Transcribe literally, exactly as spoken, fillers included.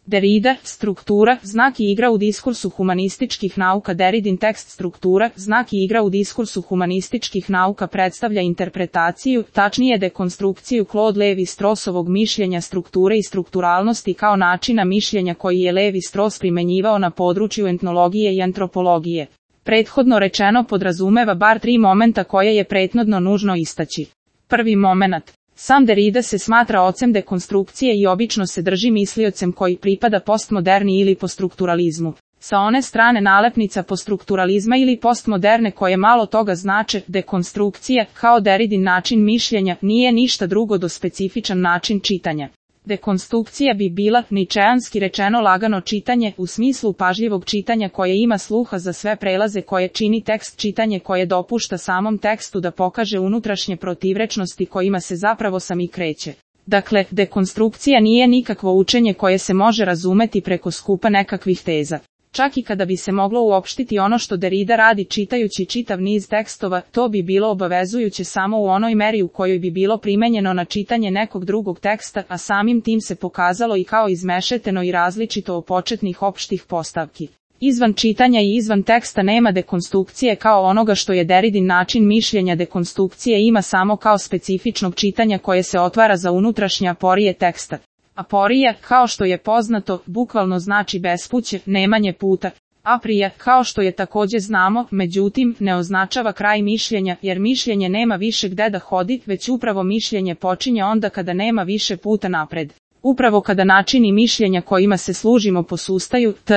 Derrida, struktura, znak i igra u diskursu humanističkih nauka. Derridin tekst struktura, znak i igra u diskursu humanističkih nauka predstavlja interpretaciju, tačnije dekonstrukciju Claude Lévi-Straussovog mišljenja strukture i strukturalnosti kao načina mišljenja koji je Lévi-Strauss primenjivao na području etnologije i antropologije. Prethodno rečeno podrazumeva bar tri momenta koje je prethodno nužno istaći. Prvi momenat. Sam Derrida se smatra ocem dekonstrukcije i obično se drži misliocem koji pripada postmoderni ili poststrukturalizmu. Sa one strane nalepnica poststrukturalizma ili postmoderne koje malo toga znače, dekonstrukcija, kao Derridin način mišljenja, nije ništa drugo do specifičan način čitanja. Dekonstrukcija bi bila, ničeanski rečeno, lagano čitanje, u smislu pažljivog čitanja koje ima sluha za sve prelaze koje čini tekst, čitanje koje dopušta samom tekstu da pokaže unutrašnje protivrečnosti kojima se zapravo sami kreće. Dakle, dekonstrukcija nije nikakvo učenje koje se može razumeti preko skupa nekakvih teza. Čak i kada bi se moglo uopštiti ono što Derrida radi čitajući čitav niz tekstova, to bi bilo obavezujuće samo u onoj meri u kojoj bi bilo primenjeno na čitanje nekog drugog teksta, a samim tim se pokazalo i kao izmešeteno i različito od početnih opštih postavki. Izvan čitanja i izvan teksta nema dekonstrukcije kao onoga što je Derridin način mišljenja. Dekonstrukcije ima samo kao specifičnog čitanja koje se otvara za unutrašnje aporije teksta. Aporija, kao što je poznato, bukvalno znači bespuće, nemanje puta. Aprija, kao što je takođe znamo, međutim, ne označava kraj mišljenja, jer mišljenje nema više gde da hodi, već upravo mišljenje počinje onda kada nema više puta napred. Upravo kada načini mišljenja kojima se služimo posustaju, tj.